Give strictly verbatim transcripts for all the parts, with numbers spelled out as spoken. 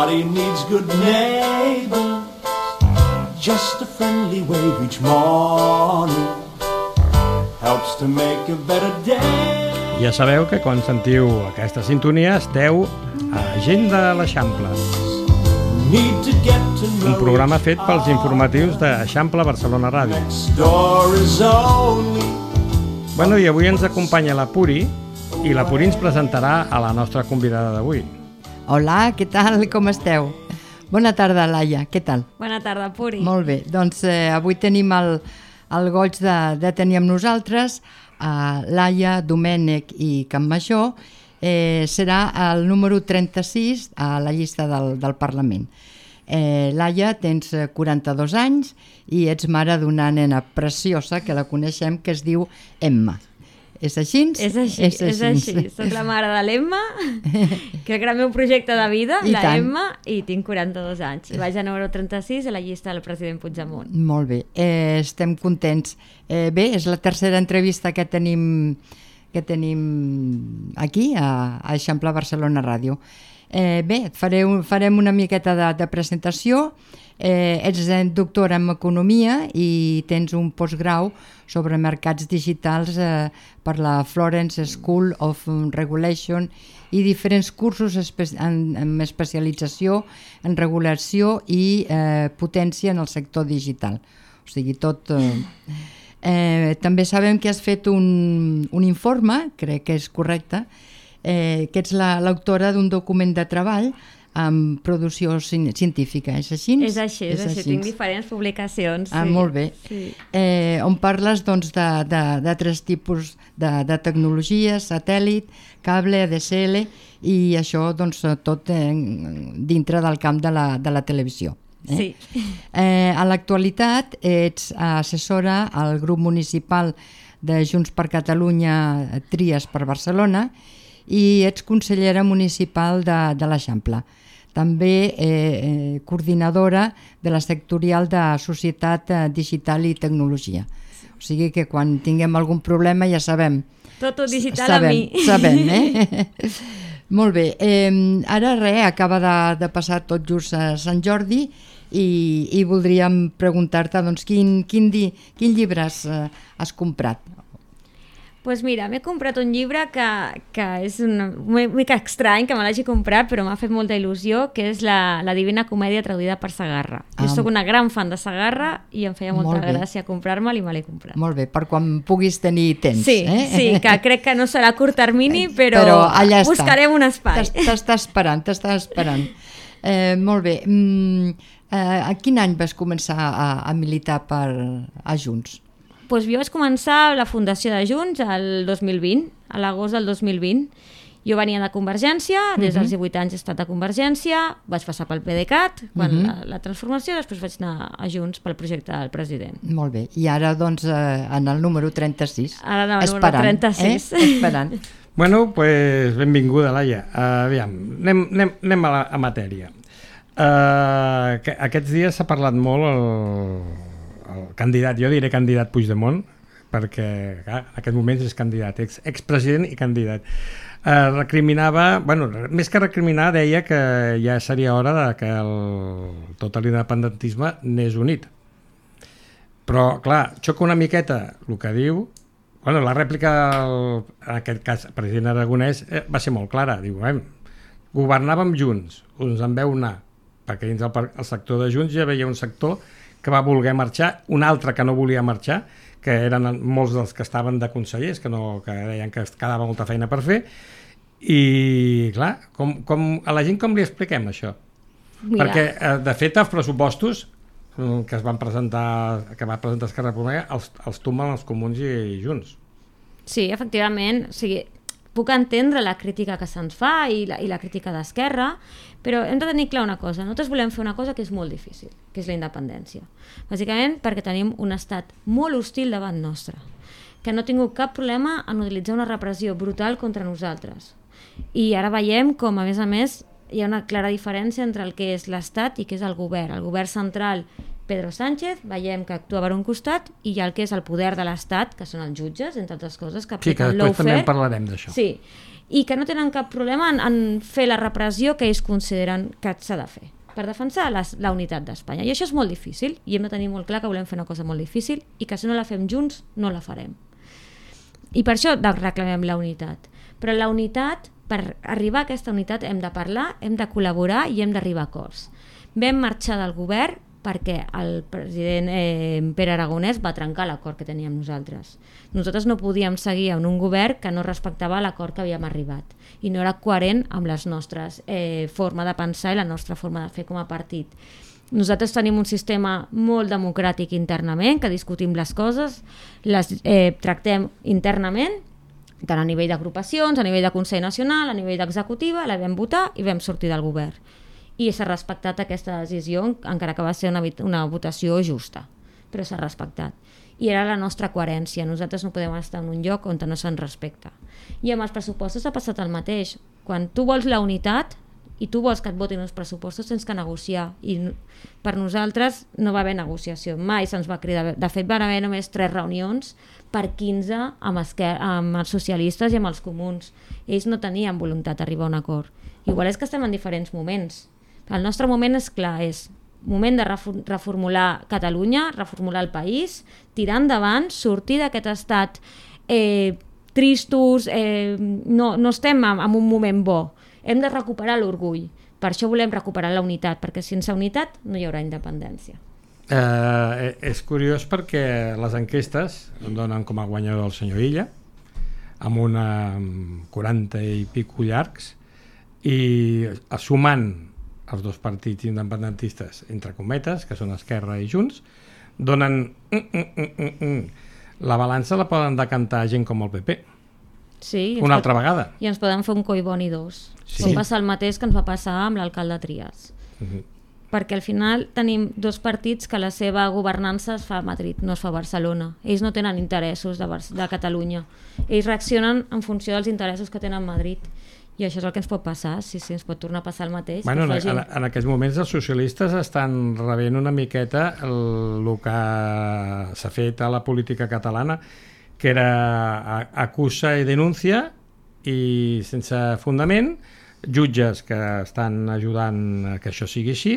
Everybody needs good neighbors. Just a friendly wave each morning helps to make a better day. Ja sabeu que quan sentiu aquesta sintonia esteu a Gent de l'Eixample, un programa fet pels informatius d'Eixample Barcelona Ràdio. Bueno, i avui ens acompanya la Puri, i la Puri ens presentarà a la nostra convidada d'avui. Hola, què tal? Com esteu? Bona tarda, Laia, què tal? Bona tarda, Puri. Molt bé, doncs eh, avui tenim el, el goig de, de tenir amb nosaltres a Laia, Domènech i Campmajor. Eh, serà el número trenta-sis a la llista del, del Parlament. Eh, Laia, tens quaranta-dos anys i ets mare d'una nena preciosa que la coneixem, que es diu Emma. És així? És així, és així. És així. Soc la mare de l'Emma, que era el meu projecte de vida, I la tant. Emma, i tinc quaranta-dos anys. I vaig a número trenta-sis a la llista del president Puigdemont. Molt bé, eh, estem contents. Eh, bé, és la tercera entrevista que tenim, que tenim aquí, a, a Eixample Barcelona Ràdio. Eh, bé, fareu, farem una miqueta de, de presentació. Eh, ets doctora en Economia i tens un postgrau sobre mercats digitals eh, per la Florence School of Regulation i diferents cursos espe en, en especialització en regulació i eh, potència en el sector digital. O sigui, tot... Eh, eh, també sabem que has fet un, un informe, crec que és correcte, eh, que ets l'autora d'un document de treball amb producció científica, és així? És així, és, és així. així. Tinc diferents publicacions. Ah, sí. Molt bé. Sí. Eh, on parles doncs, de, de, de tres tipus de, de tecnologies, satèl·lit, cable, A D S L, i això doncs, tot eh, dintre del camp de la, de la televisió. Eh? Sí. Eh, a l'actualitat ets assessora al grup municipal de Junts per Catalunya Tries per Barcelona i ets consellera municipal de, de l'Eixample. També eh, eh, coordinadora de la sectorial de Societat Digital i Tecnologia. O sigui que quan tinguem algun problema ja sabem. Tot el digital sabem, a mi. Sabem, eh? Molt bé. Eh, ara res, acaba de, de passar tot just a Sant Jordi i, i voldríem preguntar-te doncs, quin, quin, di, quin llibre has, has comprat? Pues mira, m'he comprat un llibre que, que és una mica estrany que me l'hagi comprat, però m'ha fet molta il·lusió, que és la, la Divina Comèdia traduïda per Segarra. Ah, jo soc una gran fan de Segarra i em feia molta molt gràcia comprar-me'l i me l'he comprat. Molt bé, per quan puguis tenir temps. Sí, eh? sí, que crec que no serà a curt termini, però, però allà buscarem un espai. T'està esperant, t'està esperant. Eh, molt bé. Mm, eh, a quin any vas començar a, a militar per, a Junts? Pues jo vaig començar la fundació de Junts el dos mil vint, a l'agost del dos mil vint. Jo venia de Convergència, des dels divuit anys he estat a Convergència, vaig passar pel PDeCAT, quan uh -huh. la, la transformació, després vaig anar a Junts pel projecte del president. Molt bé, i ara doncs eh, en el número trenta-sis. Ara en el esperant, número trenta-sis. Eh? Esperant. Bueno, pues benvinguda, Laia. Uh, aviam, anem, anem, anem a, la, a matèria. Uh, que aquests dies s'ha parlat molt el... el candidat, jo diré candidat Puigdemont, perquè clar, en aquest moment és candidat, ex, expresident i candidat. Eh, recriminava, bueno, més que recriminar, deia que ja seria hora de que el, tot l'independentisme n'és unit. Però, clar, xoca una miqueta el que diu. Bueno, la rèplica, el, en aquest cas, el president Aragonès, eh, va ser molt clara. Diu, eh, governàvem Junts, uns en veu anar, perquè dins el, el sector de Junts ja veia un sector que va voler marxar, un altre que no volia marxar, que eren molts dels que estaven de consellers, que, no, que deien que quedava molta feina per fer, i clar, com, com, a la gent com li expliquem això? Mira. Perquè, de fet, els pressupostos que es van presentar, que va presentar Esquerra Republicana, els, els tumben els comuns i, i Junts. Sí, efectivament, o sigui, puc entendre la crítica que se'ns fa i la, i la crítica d'Esquerra, però hem de tenir clar una cosa, nosaltres volem fer una cosa que és molt difícil, que és la independència. Bàsicament perquè tenim un estat molt hostil davant nostre, que no ha tingut cap problema en utilitzar una repressió brutal contra nosaltres. I ara veiem com, a més a més, hi ha una clara diferència entre el que és l'Estat i que és el govern. El govern central Pedro Sánchez, veiem que actua per un costat, i hi ha el que és el poder de l'Estat, que són els jutges, entre altres coses, que Sí, que apliquen després també lawfare. en parlarem d'això. Sí, i que no tenen cap problema en, en fer la repressió que ells consideren que s'ha de fer per defensar la, la unitat d'Espanya. I això és molt difícil, i hem de tenir molt clar que volem fer una cosa molt difícil i que si no la fem junts, no la farem. I per això reclamem la unitat. Però la unitat, per arribar a aquesta unitat hem de parlar, hem de col·laborar i hem d'arribar a acords. Vam marxar del govern perquè el president eh, Pere Aragonès va trencar l'acord que teníem nosaltres. Nosaltres no podíem seguir en un govern que no respectava l'acord que havíem arribat i no era coherent amb les nostres eh, forma de pensar i la nostra forma de fer com a partit. Nosaltres tenim un sistema molt democràtic internament, que discutim les coses, les eh, tractem internament, tant a nivell d'agrupacions, a nivell de Consell Nacional, a nivell d'executiva, la vam votar i vam sortir del govern. I s'ha respectat aquesta decisió, encara que va ser una, una votació justa, però s'ha respectat. I era la nostra coherència. Nosaltres no podem estar en un lloc on no se'n respecta. I amb els pressupostos ha passat el mateix. Quan tu vols la unitat i tu vols que et votin els pressupostos, tens que negociar. I per nosaltres no va haver negociació. Mai se'ns va cridar. De fet, van haver només tres reunions per quinze amb, esquer- amb els socialistes i amb els comuns. Ells no tenien voluntat d'arribar a un acord. Igual és que estem en diferents moments. El nostre moment és clar, és moment de reformular Catalunya, reformular el país, tirar endavant, sortir d'aquest estat eh, tristos, eh, no, no estem en, en un moment bo. Hem de recuperar l'orgull. Per això volem recuperar la unitat, perquè sense unitat no hi haurà independència. Eh, és curiós perquè les enquestes donen com a guanyador el senyor Illa, amb una quaranta i pico llargs, i sumant els dos partits independentistes, entre cometes, que són Esquerra i Junts, donen... Mm, mm, mm, mm, mm. La balança la poden decantar gent com el P P. Sí, una pot, altra vegada. I ens poden fer un Collboni dos. Sí. Pot passar el mateix que ens va passar amb l'alcalde Trias. Uh-huh. Perquè al final tenim dos partits que la seva governança es fa a Madrid, no es fa a Barcelona. Ells no tenen interessos de, Bar- de Catalunya. Ells reaccionen en funció dels interessos que tenen a Madrid. I això és el que ens pot passar, sí, sí, ens pot tornar a passar el mateix. Bueno, en, en, en aquests moments els socialistes estan rebent una miqueta el, el que s'ha fet a la política catalana, que era a, acusa i denuncia, i sense fundament, jutges que estan ajudant a que això sigui així,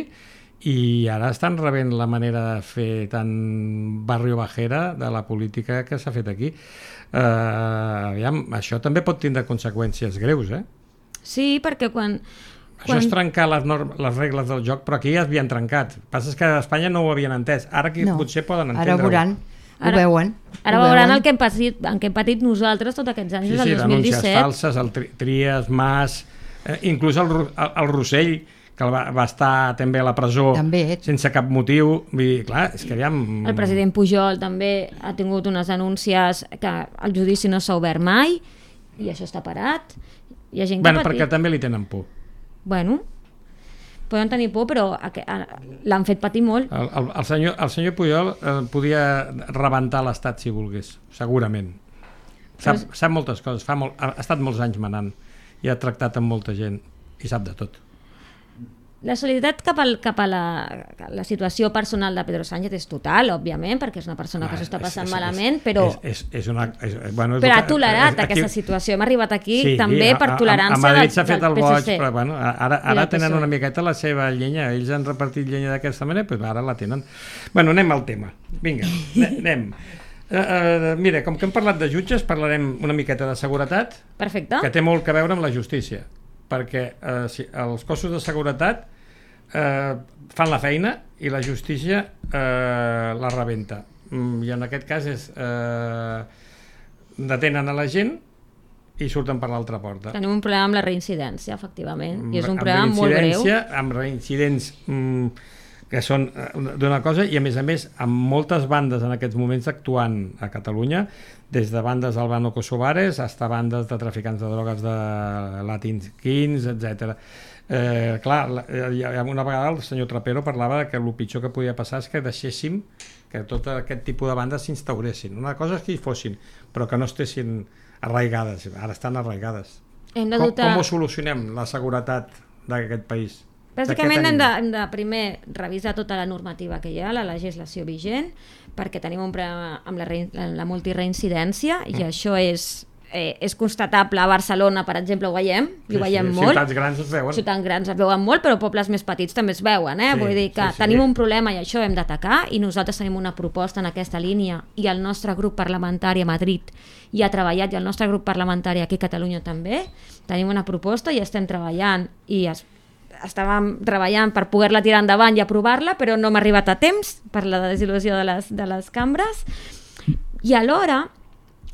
i ara estan rebent la manera de fer tan barrio bajera de la política que s'ha fet aquí. Eh, aviam, això també pot tindre conseqüències greus, eh? Sí, perquè quan... Això quan... és trencar les, norm, les regles del joc, però aquí ja es havien trencat. El que passa és que a Espanya no ho havien entès. Ara aquí no. potser poden entendre-ho. Ara veuran, ho Ara, veuen. Ara ho veuran veuen. el que hem patit, en què hem patit nosaltres tots aquests anys, Sí, des sí, del dos mil denúncies disset. falses, el tri Trias, Mas, eh, inclús el, el, el Rossell, que el va, va estar també a la presó també. sense cap motiu. Vull dir, clar, és que aviam... El president Pujol també ha tingut unes denúncies que el judici no s'ha obert mai i això està parat. Hi ha gent que Bueno, ha patit. perquè també li tenen por. Bueno, poden tenir por, però l'han fet patir molt. El, el, el, senyor, el senyor Pujol eh, podia rebentar l'Estat si volgués, segurament. Sap, Però... sap moltes coses, fa molt, ha estat molts anys manant i ha tractat amb molta gent i sap de tot. La solidaritat cap, al, cap a la, la situació personal de Pedro Sánchez és total, òbviament, perquè és una persona que s'ho està passant és, malament, és, però, és, és, és una, és, bueno, és però ha que- tolerat és- aquesta aquí- situació. Hem arribat aquí Sí, també a- per a- tolerància a Madrid del, s'ha fet del el P boig, S C. però bueno, ara, I ara del tenen P S O E. una miqueta la seva llenya, ells han repartit llenya d'aquesta manera, però ara la tenen. Bueno, anem al tema. Vinga, anem. Uh, uh, mira, com que hem parlat de jutges, parlarem una miqueta de seguretat, Perfecte. que té molt que veure amb la justícia, perquè uh, si, els cossos de seguretat uh, fan la feina i la justícia uh, la rebenta. Mm, I en aquest cas és uh, detenen a la gent i surten per l'altra porta. Tenim un problema amb la reincidència, efectivament, i és un Amb problema molt greu. reincidència, amb reincidents mm, que són eh, d'una cosa, i a més a més amb moltes bandes en aquests moments actuant a Catalunya, des de bandes albano-kosovares fins a bandes de traficants de drogues de Latins Kings, etcètera. Eh, clar, la- eh, una vegada el senyor Trapero parlava que el pitjor que podia passar és que deixéssim que tot aquest tipus de bandes s'instauressin. Una cosa és que hi fossin, però que no estessin arraigades. Ara estan arraigades. Hem de Com, dotar... com ho solucionem, la seguretat d'aquest país? Bàsicament hem de, hem de primer revisar tota la normativa que hi ha, la legislació vigent, perquè tenim un problema amb la, re, la multireincidència i mm. això és... Eh, és constatable a Barcelona, per exemple, ho veiem, i ho sí, veiem sí, molt. Ciutats grans es veuen. Ciutats grans es veuen molt, però pobles més petits també es veuen, eh? Sí, Vull dir que sí, sí. tenim un problema i això hem d'atacar, i nosaltres tenim una proposta en aquesta línia, i el nostre grup parlamentari a Madrid hi ha treballat, i el nostre grup parlamentari aquí a Catalunya també, tenim una proposta i estem treballant, i es, estàvem treballant per poder-la tirar endavant i aprovar-la, però no hem arribat a temps per la desil·lusió de les, de les cambres, i alhora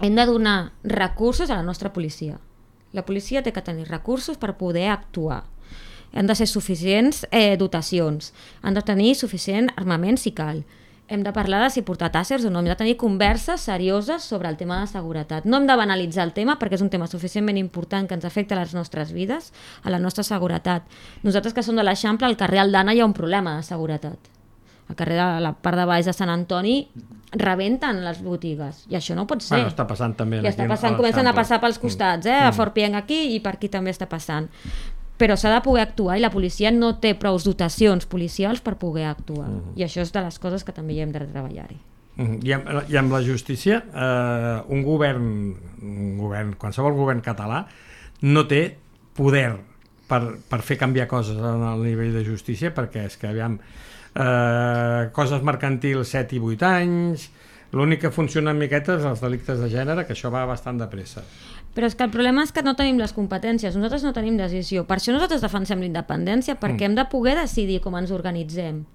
hem de donar recursos a la nostra policia. La policia té que tenir recursos per poder actuar. Han de ser suficients eh, dotacions, han de tenir suficient armament si cal. Hem de parlar de si portar tàssers o no, hem de tenir converses serioses sobre el tema de seguretat. No hem de banalitzar el tema perquè és un tema suficientment important que ens afecta a les nostres vides, a la nostra seguretat. Nosaltres que som de l'Eixample, al carrer Aldana hi ha un problema de seguretat. Al carrer de la part de baix de Sant Antoni rebenten les botigues i això no pot ser. Bueno, està passant també. I està passant, comencen a passar pels costats, eh? A Fort Pienc aquí i per aquí també està passant. Però s'ha de poder actuar i la policia no té prou dotacions policials per poder actuar. Uh -huh. I això és de les coses que també hi hem de treballar-hi. Uh -huh. I, amb, I amb la justícia, eh, un govern, un govern, qualsevol govern català, no té poder per, per fer canviar coses al nivell de justícia, perquè és que, aviam, Uh, coses mercantils set i vuit anys, l'únic que funciona en miquetes els delictes de gènere, que això va bastant de pressa. Però és que el problema és que no tenim les competències, nosaltres no tenim decisió, per això nosaltres defensem la independència, perquè mm. hem de poder decidir com ens organitzem.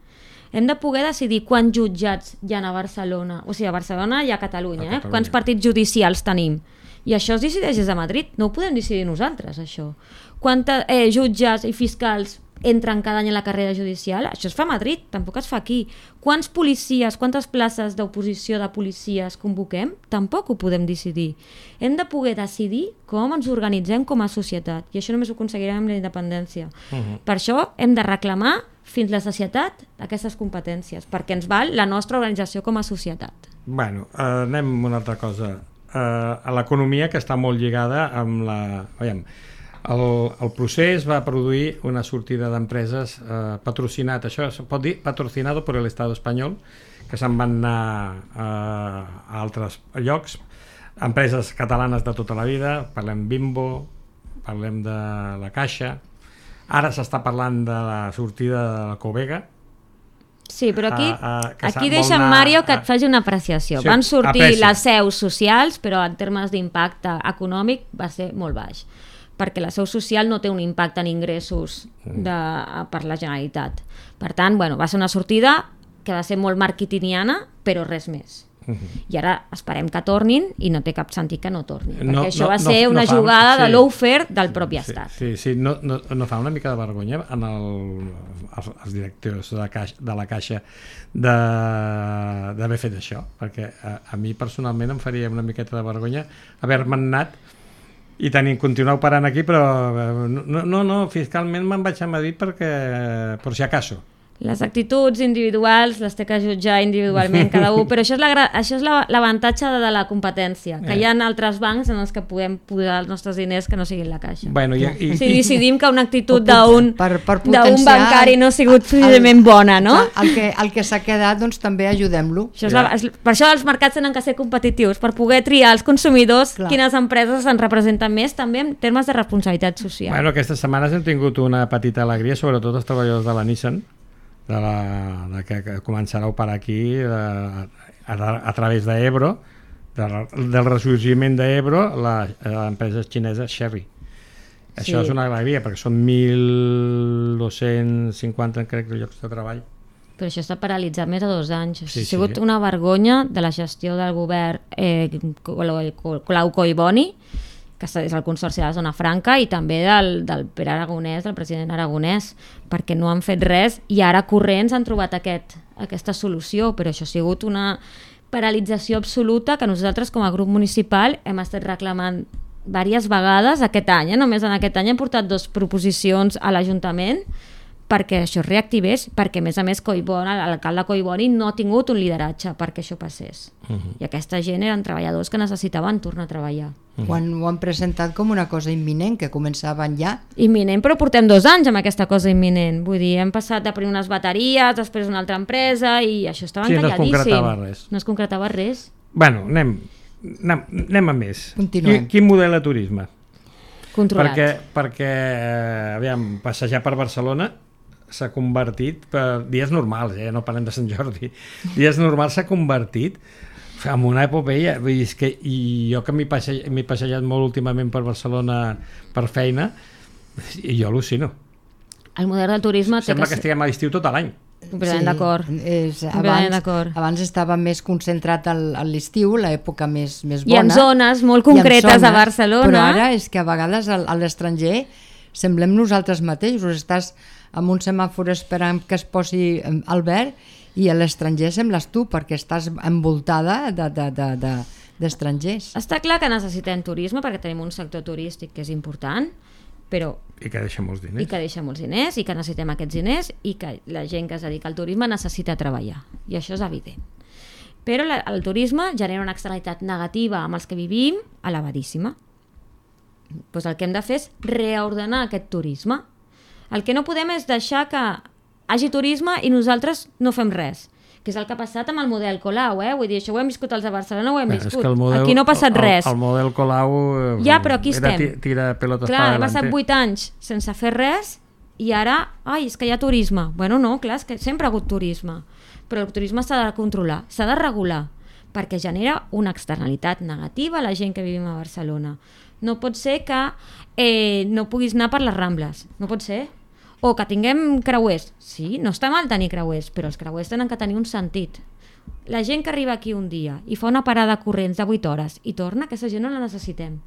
Hem de poder decidir quants jutjats hi ha a Barcelona, o sigui, a Barcelona i a Catalunya, a Catalunya. Eh? Quants partits judicials tenim. I això es decideix des de Madrid, no ho podem decidir nosaltres, això. Quants eh, jutges i fiscals entren cada any en la carrera judicial, això es fa a Madrid, tampoc es fa aquí. Quants policies, quantes places d'oposició de policies convoquem? Tampoc ho podem decidir. Hem de poder decidir com ens organitzem com a societat, i això només ho aconseguirem amb la independència. Uh-huh. Per això hem de reclamar fins la societat aquestes competències, perquè ens val la nostra organització com a societat. Bueno, eh, anem a una altra cosa. Eh, a l'economia, que està molt lligada amb la... Veiem, El, el procés va produir una sortida d'empreses eh, patrocinat, això es pot dir patrocinado per l'Estat espanyol, que se'n van anar eh, a altres llocs, empreses catalanes de tota la vida, parlem Bimbo, parlem de la Caixa, ara s'està parlant de la sortida de la Covega. Sí, però aquí, a, a, aquí deixa en Mario que et faci una apreciació. Sí, van sortir aprecia. Les seus socials, però en termes d'impacte econòmic va ser molt baix, perquè la seu social no té un impacte en ingressos de, per la Generalitat. Per tant, bueno, va ser una sortida que va ser molt marketingiana, però res més. Uh -huh. I ara esperem que tornin i no té cap sentit que no tornin, perquè no, això va no, ser no, una no jugada fa, sí. de lawfare del propi sí, estat. Sí, sí, no, no, no fa una mica de vergonya en el, els, els directors de la Caixa, de la Caixa d'haver fet això, perquè a, a mi personalment em faria una miqueta de vergonya haver-me anat i tenir, continuar operant aquí, però no, no, no fiscalment me'n vaig a Madrid perquè, per si acaso. Les actituds individuals les té que jutjar individualment cada un, però això és, la, això és l'avantatge la, de, de la competència, que eh. hi ha altres bancs en els que podem posar els nostres diners que no siguin la Caixa. Bueno, i, i, si decidim que una actitud d'un potenciar... bancari no ha sigut suficientment bona, no? El que, el que s'ha quedat, doncs també ajudem-lo. Ja. Per això els mercats tenen que ser competitius, per poder triar els consumidors Clar. Quines empreses ens representen més, també en termes de responsabilitat social. Bueno, aquestes setmanes hem tingut una petita alegria, sobretot els treballadors de la Nissan, de la, de que, que començarà a operar aquí de, a, a, a través d'Ebro, de, del ressorgiment d'Ebro, l'empresa xinesa Chery. Això sí. És una alegria, perquè són mil dos-cents cinquanta crec, llocs de treball. Però això està paralitzat més de dos anys. Sí, ha sigut sí. una vergonya de la gestió del govern eh, Colau Collboni, que és el Consorci de la Zona Franca, i també del, del Pere Aragonès, del president Aragonès, perquè no han fet res i ara corrents han trobat aquest, aquesta solució, però això ha sigut una paralització absoluta que nosaltres com a grup municipal hem estat reclamant diverses vegades aquest any, eh? Només en aquest any hem portat dues proposicions a l'Ajuntament perquè això es reactivés, perquè a més a més Collboni, l'alcalde Collboni no ha tingut un lideratge perquè això passés. Uh-huh. I aquesta gent eren treballadors que necessitaven tornar a treballar. Uh-huh. Ho, han, ho han presentat com una cosa imminent, que començaven ja. Imminent, però portem dos anys amb aquesta cosa imminent. Vull dir, hem passat de primer unes bateries, després una altra empresa, i això estava sí, encalladíssim. No es concretava res. No es concretava res. Bueno, anem, anem, anem a més. Continuem. Quin, quin model de turisme? Controlat. Perquè, perquè eh, aviam, passejar per Barcelona s'ha convertit, per dies normals, eh? No parlem de Sant Jordi, dies normals s'ha convertit en una epopeia. Vull dir, és que, i jo que m'he passejat, m'he passejat molt últimament per Barcelona per feina, i jo al·lucino. El model del turisme... Sembla que que estiguem a l'estiu tot l'any. Completament d'acord. És, abans, abans estava més concentrat a l'estiu, l'època més, més bona. I en zones molt concretes zones, a Barcelona. Però ara és que a vegades a, a l'estranger semblem nosaltres mateixos. Estàs amb un semàfor esperant que es posi al verd i a l'estranger sembles tu, perquè estàs envoltada de, de, de, de, d'estrangers. Està clar que necessitem turisme perquè tenim un sector turístic que és important, però... I que deixa molts diners. I que deixa molts diners, i que necessitem aquests diners, i que la gent que es dedica al turisme necessita treballar. I això és evident. Però la, el turisme genera una externalitat negativa amb els que vivim elevadíssima. Pues el que hem de fer és reordenar aquest turisme. El que no podem és deixar que hagi turisme i nosaltres no fem res, que és el que ha passat amb el model Colau, eh? Vull dir, això ho hem viscut els de Barcelona, ho hem Bé, viscut. Model, aquí no ha passat el, res. El, el model Colau ja, però aquí era estem. Tira pelotes clar, para hem passat adelante. vuit anys sense fer res i ara, ai, és que hi ha turisme. Bueno, no, clar, és que sempre ha hagut turisme. Però el turisme s'ha de controlar, s'ha de regular, perquè genera una externalitat negativa a la gent que vivim a Barcelona. No pot ser que eh, no puguis anar per les Rambles, no pot ser. O que tinguem creuers. Sí, no està mal tenir creuers, però els creuers tenen que tenir un sentit. La gent que arriba aquí un dia i fa una parada corrents de vuit hores i torna, aquesta gent no la necessitem.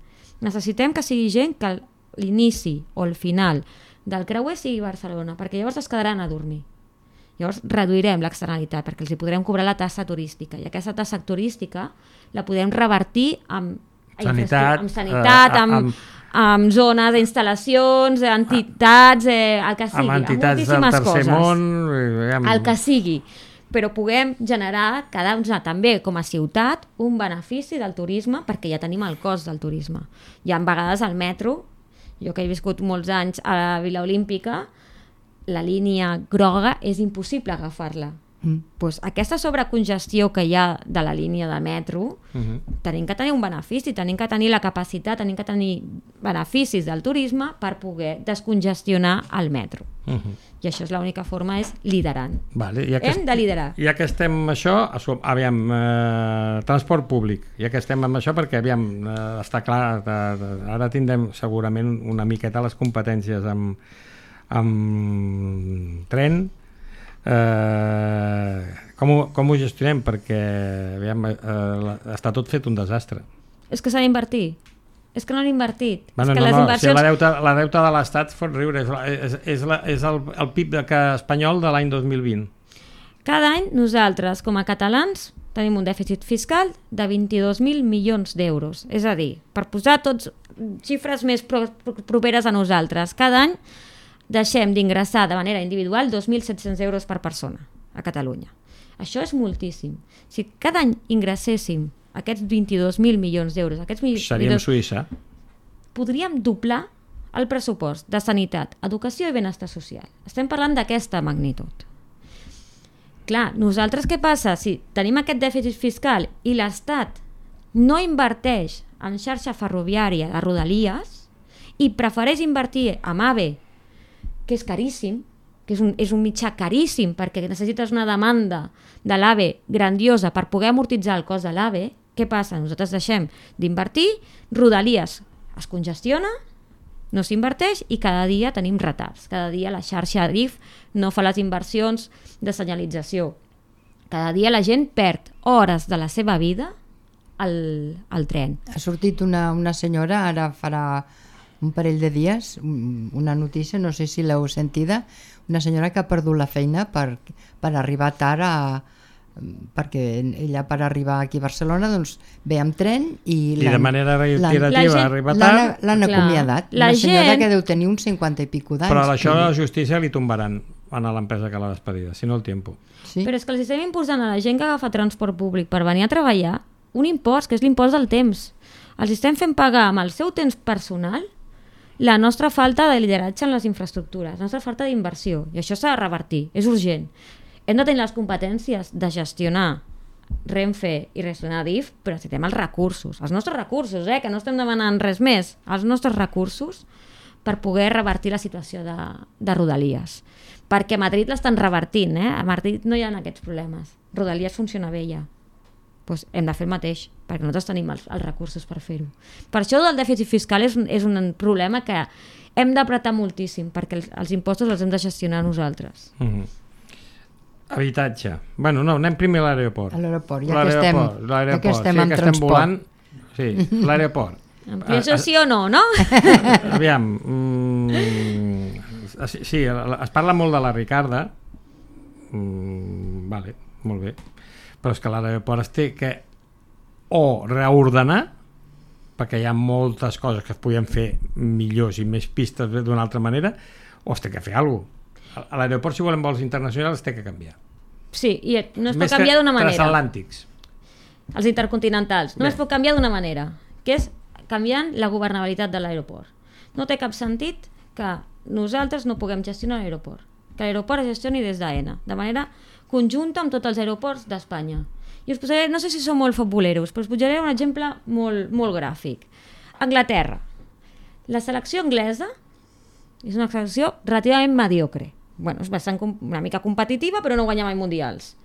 Necessitem que sigui gent que l'inici o el final del creuer sigui Barcelona, perquè llavors es quedaran a dormir. Llavors reduirem l'externalitat, perquè els hi podrem cobrar la tassa turística, i aquesta tassa turística la podem revertir amb sanitat, amb, sanitat, eh, amb, amb, amb zones d'instal·lacions, entitats, eh, el que sigui, amb entitats amb del tercer coses. món, amb... el que sigui, però puguem generar cada una també com a ciutat un benefici del turisme, perquè ja tenim el cost del turisme. Hi ha vegades al metro, jo que he viscut molts anys a la Vila Olímpica, la línia groga és impossible agafar-la. Mm. Pues aquesta sobrecongestió que hi ha de la línia de metro, uh-huh. tenim que tenir un benefici, tenim que tenir la capacitat, tenim que tenir beneficis del turisme per poder descongestionar el metro. Uh-huh. I això és l'única forma, és liderant. Vale, ja que hem de liderar. Ja que estem amb això, aviam, eh, transport públic, ja que estem amb això, perquè aviam, eh, està clar, de, de, ara tindrem segurament una miqueta les competències amb, amb tren. Eh, com, ho, com ho gestionem? Perquè aviam, eh, està tot fet un desastre. És que s'ha d'invertir. És que no han invertit. Bueno, és que no, les no, inversions... si la deuta, la deuta de l'Estat fot riure, és, és, és, la, és el, el P I B de que, espanyol de l'any dos mil vint. Cada any nosaltres, com a catalans, tenim un dèficit fiscal de vint-i-dos mil milions d'euros. És a dir, per posar tots xifres més pro, pro, properes a nosaltres, cada any deixem d'ingressar de manera individual dos mil set-cents euros per persona a Catalunya. Això és moltíssim. Si cada any ingresséssim aquests vint-i-dos mil milions d'euros, aquests mil... seríem Suïssa. Podríem doblar el pressupost de sanitat, educació i benestar social. Estem parlant d'aquesta magnitud. Clar, nosaltres què passa? Si tenim aquest dèficit fiscal i l'Estat no inverteix en xarxa ferroviària a Rodalies i prefereix invertir en AVE, que és caríssim, que és un, és un mitjà caríssim perquè necessites una demanda de l'AVE grandiosa per poder amortitzar el cost de l'AVE, què passa? Nosaltres deixem d'invertir, Rodalies es congestiona, no s'inverteix i cada dia tenim retards. Cada dia la xarxa A D I F no fa les inversions de senyalització. Cada dia la gent perd hores de la seva vida al, al tren. Ha sortit una, una senyora, ara farà un parell de dies, una notícia, no sé si l'heu sentida, una senyora que ha perdut la feina per, per arribar tard a, perquè ella per arribar aquí a Barcelona doncs ve amb tren i, I de manera reiterativa gent- arriba l'han tard, l'han Clar. acomiadat. La Una senyora gent- que deu tenir uns cinquanta i pico d'anys. però això a vull la dir. justícia li tombaran a l'empresa que l'ha despedida, si no el tiempo. Sí? Però és que els estem imposant a la gent que agafa transport públic per venir a treballar un impost, que és l'impost del temps. Els estem fent pagar amb el seu temps personal la nostra falta de lideratge en les infraestructures, la nostra falta d'inversió. I això s'ha de revertir, és urgent. Hem de tenir les competències de gestionar Renfe i gestionar D I F, però necessitem els recursos, els nostres recursos, eh? Que no estem demanant res més, els nostres recursos per poder revertir la situació de, de Rodalies. Perquè a Madrid l'estan revertint, eh? A Madrid no hi ha aquests problemes. Rodalies funciona bé ja. Pues hem de fer el mateix, perquè nosaltres tenim els, els recursos per fer-ho. Per això el dèficit fiscal és, un- és un problema que hem d'apretar moltíssim, perquè els, els impostos els hem de gestionar nosaltres. Uh -huh. Habitatge. Bueno, no, anem primer a l'aeroport. A l'aeroport, ja que estem- L'aeroport, ja l'aeroport, que estem sí, en que estem transport. volant. Sí, l'aeroport. Ampliació Ah, sí o no, no? Aviam, mm, sí, sí, es parla molt de la Ricarda, mm, vale, molt bé, però és que l'aeroport es té que o reordenar, perquè hi ha moltes coses que es podien fer millors i més pistes d'una altra manera, o es té que fer alguna cosa. A l'aeroport, si volem vols internacionals, es té que canviar. Sí, i no es pot Més que canviar d'una manera. transatlàntics. Els intercontinentals. No Bé. es pot canviar d'una manera, que és canviant la governabilitat de l'aeroport. No té cap sentit que nosaltres no puguem gestionar l'aeroport. Que l'aeroport es gestioni des d'AENA, de manera conjunta amb tots els aeroports d'Espanya. I us posaré, no sé si són molt futboleros, però us posaré un exemple molt, molt gràfic. Anglaterra. La selecció anglesa és una selecció relativament mediocre. Bueno, és bastant com- una mica competitiva, però no guanya mai mundials.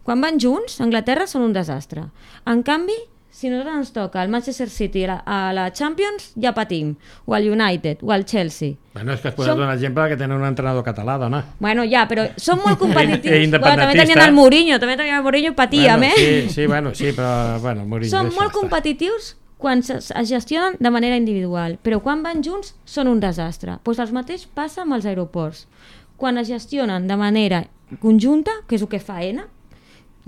Quan van junts, Anglaterra són un desastre. En canvi, si nosaltres ens toca el Manchester City a la, a la Champions, ja patim. O el United, o el Chelsea. Bueno, és que has posat Som- un exemple que tenen un entrenador català, dona. Bueno, ja, però són molt competitius. I- i Bueno, també independentista. tenien el Mourinho, també tenien el Mourinho, patíem, bueno, eh? Sí, sí, bueno, sí, però bueno, Mourinho, Són deixa molt estar. competitius quan es es gestionen de manera individual, però quan van junts són un desastre. Pues el mateix passa amb els aeroports. Quan es gestionen de manera conjunta, que és el que fa AENA,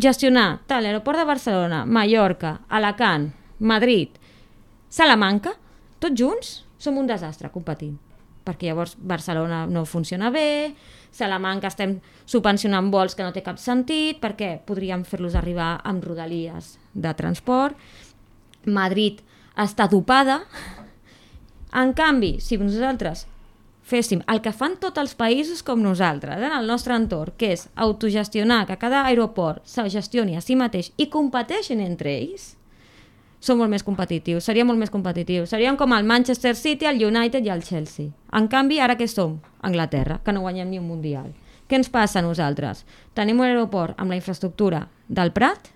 gestionar tal l'aeroport de Barcelona, Mallorca, Alacant, Madrid, Salamanca, tots junts som un desastre competint, perquè llavors Barcelona no funciona bé, Salamanca estem subvencionant vols que no té cap sentit, perquè podríem fer-los arribar amb rodalies de transport, Madrid està dopada. En canvi, si nosaltres féssim el que fan tots els països com nosaltres, eh, en el nostre entorn, que és autogestionar, que cada aeroport se gestioni a si mateix i competeixin entre ells, som molt més competitius, seríem molt més competitius. Seríem com el Manchester City, el United i el Chelsea. En canvi, ara què som? Anglaterra, que no guanyem ni un mundial. Què ens passa a nosaltres? Tenim un aeroport amb la infraestructura del Prat,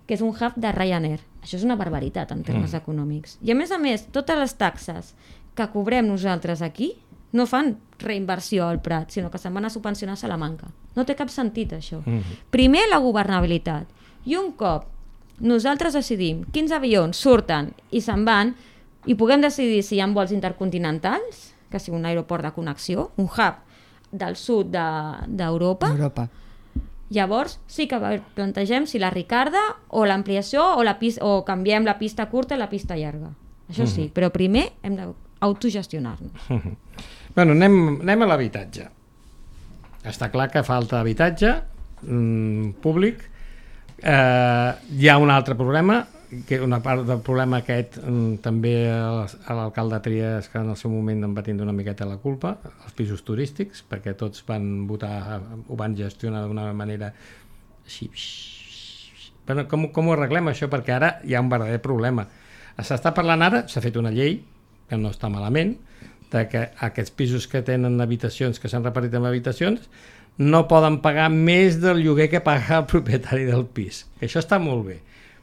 que és un hub de Ryanair. Això és una barbaritat en termes mm. econòmics. I a més a més, totes les taxes que cobrem nosaltres aquí no fan reinversió al Prat, sinó que se'n van a subvencionar a Salamanca. No té cap sentit, això. Mm. Primer, la governabilitat. I un cop nosaltres decidim quins avions surten i se'n van i puguem decidir si hi ha vols intercontinentals, que sigui un aeroport de connexió, un hub del sud d'Europa, de, Europa. llavors sí que plantegem si la Ricarda o l'ampliació o, la pista, o canviem la pista curta i la pista llarga. Això sí, mm. però primer hem d'autogestionar-nos. Mm. Bueno, anem, anem a l'habitatge. Està clar que falta habitatge mm, públic. Eh, hi ha un altre problema, que una part del problema aquest mm, també a l'alcalde Trias, que en el seu moment en va tindre una miqueta la culpa, els pisos turístics, perquè tots van votar, ho van gestionar d'una manera així. Bueno, com, com ho arreglem això? Perquè ara hi ha un verdader problema. S'està parlant ara, s'ha fet una llei, que no està malament, de que aquests pisos que tenen habitacions, que s'han repartit en habitacions, no poden pagar més del lloguer que paga el propietari del pis. Això està molt bé.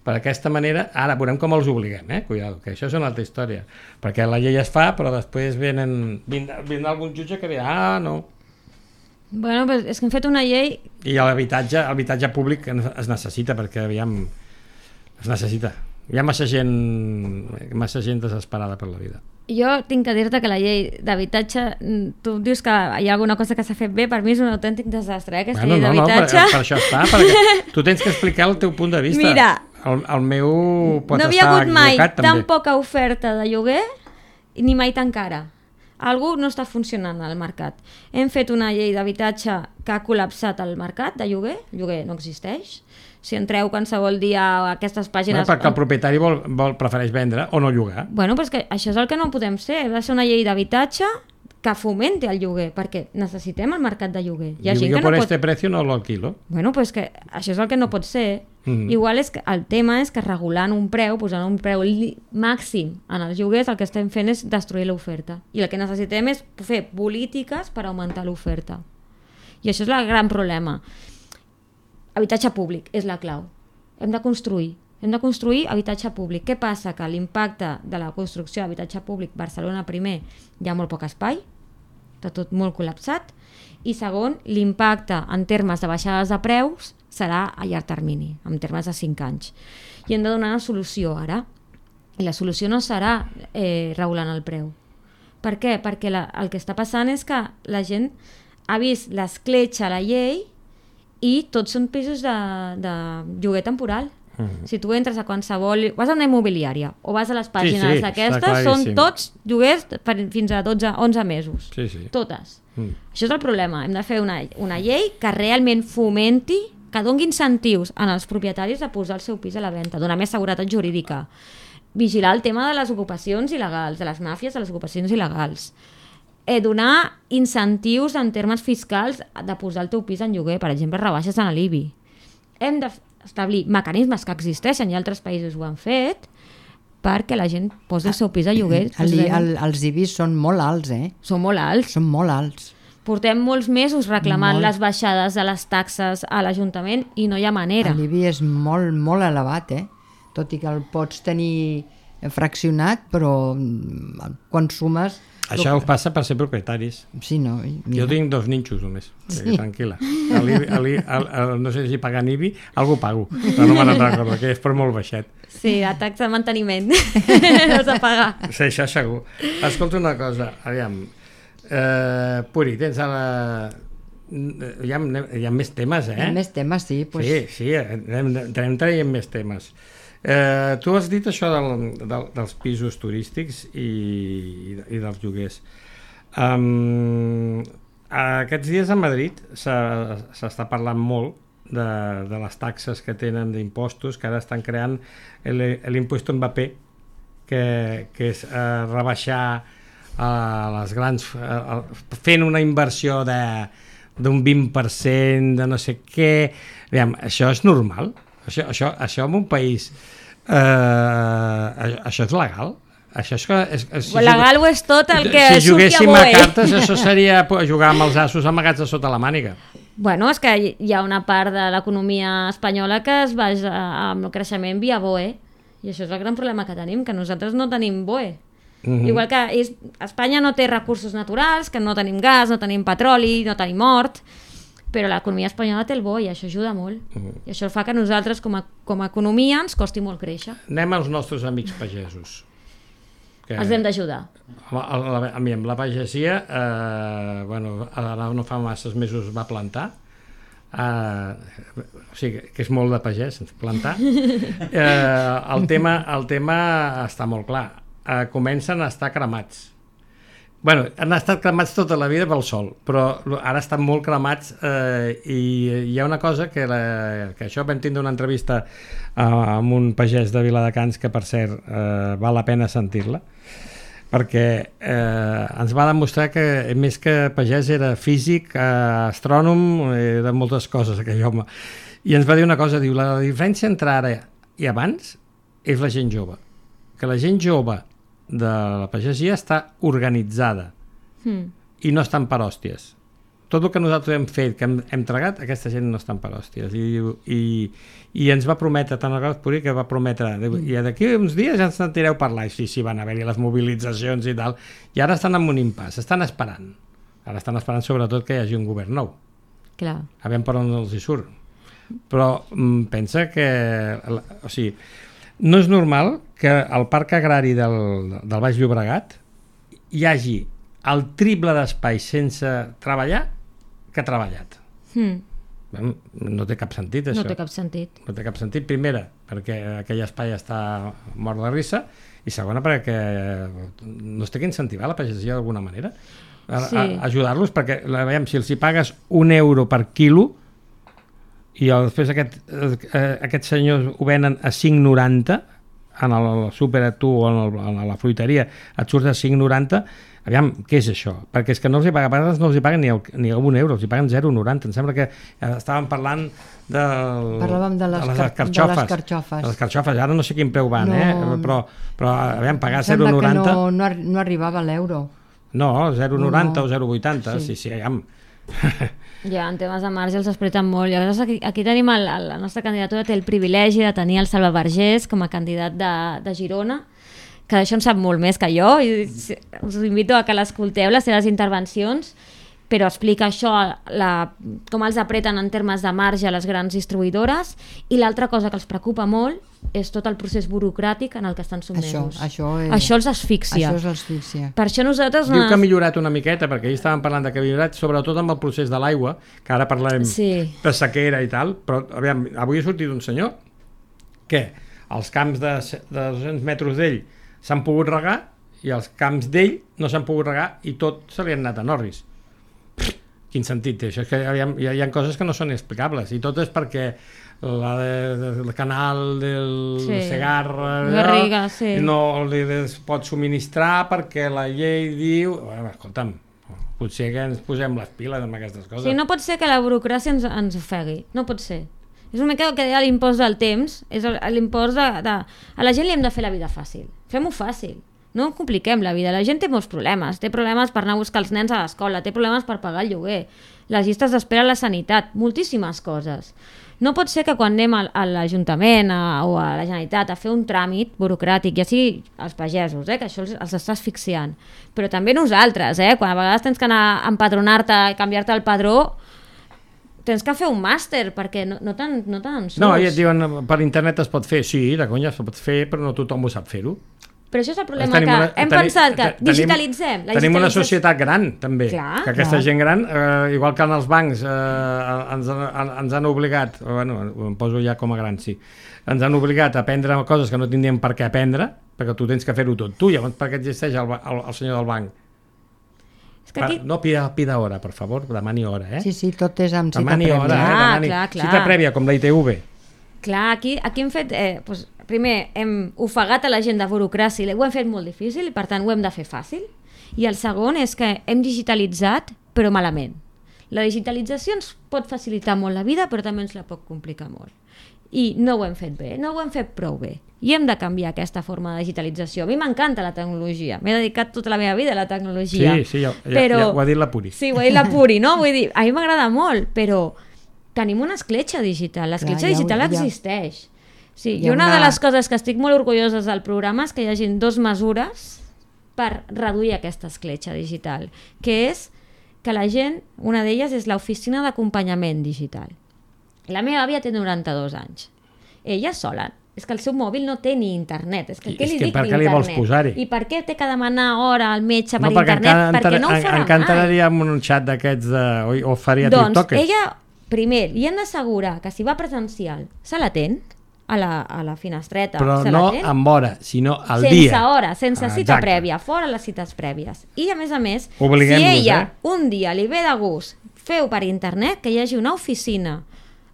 Per aquesta manera, ara veurem com els obliguem, eh? Cuidado, que això és una altra història. Perquè la llei es fa, però després venen, vindrà, vindrà algun jutge que dirà, ah, no. Bueno, pues és que hem fet una llei... I l'habitatge, l'habitatge públic es necessita, perquè aviam, es necessita. Hi ha massa gent, massa gent desesperada per la vida. Jo tinc que dir-te que la llei d'habitatge, tu dius que hi ha alguna cosa que s'ha fet bé, per mi és un autèntic desastre, eh, aquesta bueno, llei no, d'habitatge. No, per, per això està, perquè tu tens que explicar el teu punt de vista. Mira, el, el meu pot no havia estar hagut mai equivocat, tan també. poca oferta de lloguer ni mai tan cara. Algú no està funcionant al mercat. Hem fet una llei d'habitatge que ha col·lapsat el mercat de lloguer, el lloguer no existeix. Si entreu qualsevol dia a aquestes pàgines... Bueno, perquè el propietari vol, vol, prefereix vendre o no llogar. Bueno, però és que això és el que no podem ser. Hem de ser una llei d'habitatge que fomenti el lloguer, perquè necessitem el mercat de lloguer. Hi ha Diu, gent jo que no per pot... este precio no lo alquilo. Bueno, pues que això és el que no pot ser. Mm. Igual és que el tema és que regulant un preu, posant un preu màxim en els lloguers, el que estem fent és destruir l'oferta. I el que necessitem és fer polítiques per augmentar l'oferta. I això és el gran problema. Habitatge públic és la clau. Hem de construir. Hem de construir habitatge públic. Què passa? Que l'impacte de la construcció d'habitatge públic Barcelona primer hi ha molt poc espai, està tot molt col·lapsat, i segon, l'impacte en termes de baixades de preus serà a llarg termini, en termes de cinc anys. I hem de donar una solució ara. I la solució no serà eh, regulant el preu. Per què? Perquè la, el que està passant és que la gent ha vist l'escletxa a la llei i tots són pisos de, de lloguer temporal. Uh-huh. Si tu entres a qualsevol... Vas a una immobiliària o vas a les pàgines sí, sí, aquestes, són tots lloguers per, fins a dotze onze mesos. Sí, sí. Totes. Mm. Això és el problema. Hem de fer una, una llei que realment fomenti, que doni incentius en els propietaris de posar el seu pis a la venda, donar més seguretat jurídica, vigilar el tema de les ocupacions il·legals, de les màfies de les ocupacions il·legals, eh, donar incentius en termes fiscals de posar el teu pis en lloguer, per exemple, rebaixes en l'I B I. Hem d'establir mecanismes que existeixen i altres països ho han fet perquè la gent posi el seu pis a lloguer. El, el, els I B I són molt alts, eh? Són molt alts. Són molt alts. Portem molts mesos reclamant molt. les baixades de les taxes a l'Ajuntament i no hi ha manera. L'I B I és molt, molt elevat, eh? Tot i que el pots tenir fraccionat, però quan sumes... Això us passa per ser propietaris. Sí, no? Mira. Jo tinc dos ninxos només, Sí. tranquil·la. El, el, el, el, no sé si pagant I B I, algú pago, però no me'n recordo, que és per molt baixet. Sí, la taxa de manteniment no s'ha pagat. Sí, això segur. Escolta una cosa, aviam, eh, Puri, tens a la... Hi ha, hi ha més temes, eh? Hi ha més temes, sí. Pues... Sí, sí, anem, anem traient més temes. Eh, tu has dit això del, del, dels pisos turístics i, i dels lloguers. Um, aquests dies a Madrid s'està parlant molt de, de les taxes que tenen d'impostos, que ara estan creant l'impost Mbappé, que, que és eh, rebaixar eh, les grans... Eh, fent una inversió de d'un vint per cent, de no sé què... Aviam, això és normal? Això, això, això en un país... Eh, això és legal? Això és que... És, és, si legal ho és tot el que si surti a juguéssim a B O E. cartes, això seria jugar amb els assos amagats a sota la màniga. Bueno, és que hi ha una part de l'economia espanyola que es basa amb el creixement via B O E. I això és el gran problema que tenim, que nosaltres no tenim B O E. Mm-hmm. Igual que és, Espanya no té recursos naturals, que no tenim gas, no tenim petroli, no tenim hort, però l'economia espanyola té el bo i això ajuda molt. Mm-hmm. I això fa que nosaltres com a, com a economia ens costi molt créixer. Anem als nostres amics pagesos. Que... Els hem d'ajudar. A, a, a, a mi, amb la pagesia, eh, bueno, ara no fa masses mesos va plantar, eh, o sigui, que és molt de pagès, plantar. Eh, el, tema, el tema està molt clar. Uh, comencen a estar cremats. Bueno, han estat cremats tota la vida pel sol, però ara estan molt cremats eh, i hi ha una cosa que, la, que això vam tindre una entrevista uh, amb un pagès de Viladecans que, per cert, uh, val la pena sentir-la, perquè eh, ens va demostrar que més que pagès era físic, eh, astrònom, era moltes coses aquell home. I ens va dir una cosa, diu, la diferència entre ara i abans és la gent jove. Que la gent jove de la pagesia està organitzada mm. i no estan per hòsties. Tot el que nosaltres hem fet, que hem, hem tragat, aquesta gent no estan per hòsties. I, i, i ens va prometre, tant el Gal Puri, que va prometre, mm. i d'aquí uns dies ja ens sentireu parlar, i sí, sí, van haver-hi les mobilitzacions i tal, i ara estan en un impàs, estan esperant. Ara estan esperant sobretot que hi hagi un govern nou. Clar. A veure per on els hi surt. Però mm, pensa que... O sigui, no és normal que el parc agrari del, del Baix Llobregat hi hagi el triple d'espai sense treballar que treballat. Mm. No té cap sentit, això. No té cap sentit. No té cap sentit, primera, perquè aquell espai està mort de risa, i segona, perquè no es té que incentivar la pagesia d'alguna manera. A, Sí. a, ajudar-los, perquè veiem, si els hi pagues un euro per quilo i el, després aquest, eh, aquests senyors ho venen a cinc noranta en el súper a tu o en, el, en la fruiteria et surt a cinc noranta, aviam, què és això? Perquè és que no els hi paguen, a vegades no els hi paguen ni, el, ni un euro, els hi paguen zero coma noranta. Em sembla que estàvem parlant del, Parlàvem de les, de les car carxofes. de les carxofes. De les carxofes, ara no sé quin preu van, No. eh? però, però aviam, pagar Em zero sembla coma noranta... que no, no, ar- no arribava a l'euro. No, zero coma noranta No. o zero coma vuitanta, Sí. sí, sí, aviam. Ja, en temes de marge els apreten molt. I a vegades aquí, aquí tenim el, el, la nostra candidatura té el privilegi de tenir el Salva Vergés com a candidat de, de Girona, que d'això en sap molt més que jo, i us invito a que l'escolteu, les seves intervencions, però explica això, la, com els apreten en termes de marge les grans distribuïdores, i l'altra cosa que els preocupa molt és tot el procés burocràtic en el que estan Això, sotmesos. això, és, això els asfixia. Això és asfixia. Per això nosaltres... Diu que ha millorat una miqueta, perquè ahir estàvem parlant de que ha millorat, sobretot amb el procés de l'aigua, que ara parlem Sí. de sequera i tal, però aviam, avui ha sortit un senyor que els camps de, de dos-cents metres d'ell s'han pogut regar i els camps d'ell no s'han pogut regar i tot se li han anat a Norris. Quin sentit té això? És que aviam, hi, ha, hi ha coses que no són explicables, i tot és perquè la de, de, el canal del Sí. Segarra Garriga, sí. no li es pot subministrar perquè la llei diu... Bueno, escolta'm, potser que ens posem les piles amb aquestes coses. Sí, no pot ser que la burocràcia ens, ens ofegui, no pot ser. És una mica el que deia l'impost del temps, és el- l'impost de, de... A la gent li hem de fer la vida fàcil, fem-ho fàcil, no compliquem la vida. La gent té molts problemes, té problemes per anar a buscar els nens a l'escola, té problemes per pagar el lloguer, les llistes d'espera a la sanitat, moltíssimes coses. No pot ser que quan anem a, a l'Ajuntament a, o a la Generalitat a fer un tràmit burocràtic, ja sigui els pagesos, eh, que això els, els està asfixiant, però també nosaltres, eh, quan a vegades tens que anar a empadronar-te i canviar-te el padró, tens que fer un màster, perquè no, no te'n no te surts. No, i et diuen, per internet es pot fer, sí, de conya es pot fer, però no tothom ho sap fer-ho. Però això és el problema, Tenim que una- hem teni- pensat que tenim- digitalitzem. La Tenim una digitalització- societat gran, també, Clar, que aquesta clar. gent gran, eh, igual que en els bancs eh, ens, han, ens han obligat, bueno, em poso ja com a gran, sí, ens han obligat a aprendre coses que no tindríem per què aprendre, perquè tu tens que fer-ho tot tu, llavors per què existeix el, ba- el, el senyor del banc? És que aquí... No, pida, pida hora, per favor, demani hora, eh? Sí, sí, tot és amb cita demani prèvia. hora, eh? Clar, Demani. clar, clar. Cita prèvia, com la I T V. Clar, aquí, aquí hem fet... Eh, doncs, primer, hem ofegat a la gent de burocràcia i ho hem fet molt difícil i per tant ho hem de fer fàcil. I el segon és que hem digitalitzat però malament. La digitalització ens pot facilitar molt la vida però també ens la pot complicar molt. I no ho hem fet bé, no ho hem fet prou bé. I hem de canviar aquesta forma de digitalització. A mi m'encanta la tecnologia, m'he dedicat tota la meva vida a la tecnologia. Sí, sí, ja, ja, però... ja ho ha dit la Puri. Sí, ho ha dit la Puri, no? Vull dir, a mi m'agrada molt, però tenim una escletxa digital. L'escletxa Clar, ja ho- digital ja- existeix. Sí, hi i ha una, una- de les coses que estic molt orgulloses del programa és que hi hagin dos mesures per reduir aquesta escletxa digital, que és que la gent, una d'elles és l'oficina d'acompanyament digital. La meva àvia té noranta-dos anys. Ella sola, és que el seu mòbil no té ni internet. És que, I què és li que dic per què li vols d'internet? posar-hi? I per què té que demanar hora al metge per No, perquè internet? encara, Perquè no ho en- farà encara mai. entraria en un xat d'aquests de... O, o faria Doncs tiktokers. ella, primer, li hem d'assegurar que si va presencial se l'atén a la, a la finestreta, Però se no l'atén amb hora, sinó al sense dia. hora, sense Ah, cita exacte. prèvia, fora les cites prèvies. I a més a més, si Obliguem-los, ella eh? un dia li ve de gust feu per internet que hi hagi una oficina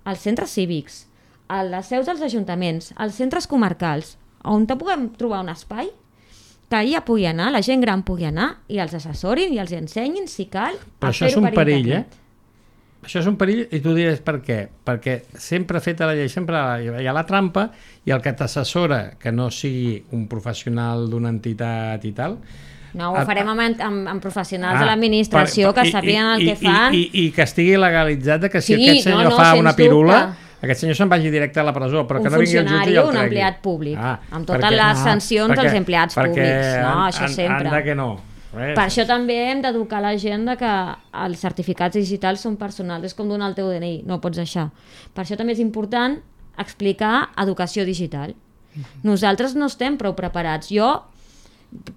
als centres cívics, a les seus dels ajuntaments, als centres comarcals, on te puguem trobar un espai que ella pugui anar, la gent gran pugui anar i els assessorin i els ensenyin, si cal, Però a això és fer-ho un per perill, internet. eh? Això és un perill i tu diràs per què? Perquè sempre feta la llei, sempre hi ha la trampa i el que t'assessora que no sigui un professional d'una entitat i tal... No, ho Ah, farem amb, amb, amb professionals Ah, de l'administració per- que i- sàpiguen el i- que fan. I, i, I que estigui legalitzat de que si Sí, aquest senyor no, no, fa sens una pirula, dubte. aquest senyor se'n vagi directe a la presó, però Un que no vingui el jutge i funcionari el o un tregui. empleat públic, amb totes perquè- les sancions perquè- als empleats perquè públics. No, han- això han- sempre. han de que no. Eh? Per això també hem d'educar la gent de que els certificats digitals són personals, és com donar el teu D N I, no pots deixar. Per això també és important explicar educació digital. Nosaltres no estem prou preparats. Jo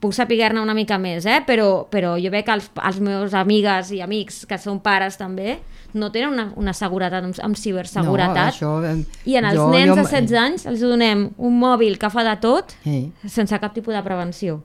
puc saber-ne una mica més, eh? però, però jo veig que els, els meus amigues i amics que són pares també no tenen una, una seguretat amb, amb ciberseguretat. No, això, eh, I en els jo- nens jo- de setze anys els donem un mòbil que fa de tot Sí. sense cap tipus de prevenció.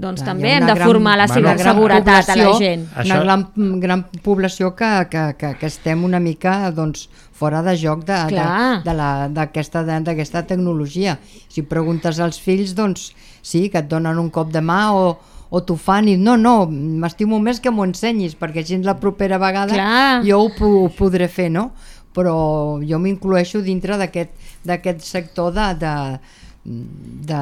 Doncs Clar, també hi ha hem una de gran- formar la Bueno, ciberseguretat a la població, gent. Una Això- gran, gran població que, que, que, que estem una mica doncs, fora de joc de- de- Clar. de la- d'aquesta de, d'aquesta tecnologia. Si preguntes als fills, doncs sí, que et donen un cop de mà o, o t'ho fan i no, no, m'estimo més que m'ho ensenyis perquè així la propera vegada Clar. jo ho, ho podré fer, no? Però jo m'incloeixo dintre d'aquest d'aquest sector de, de, de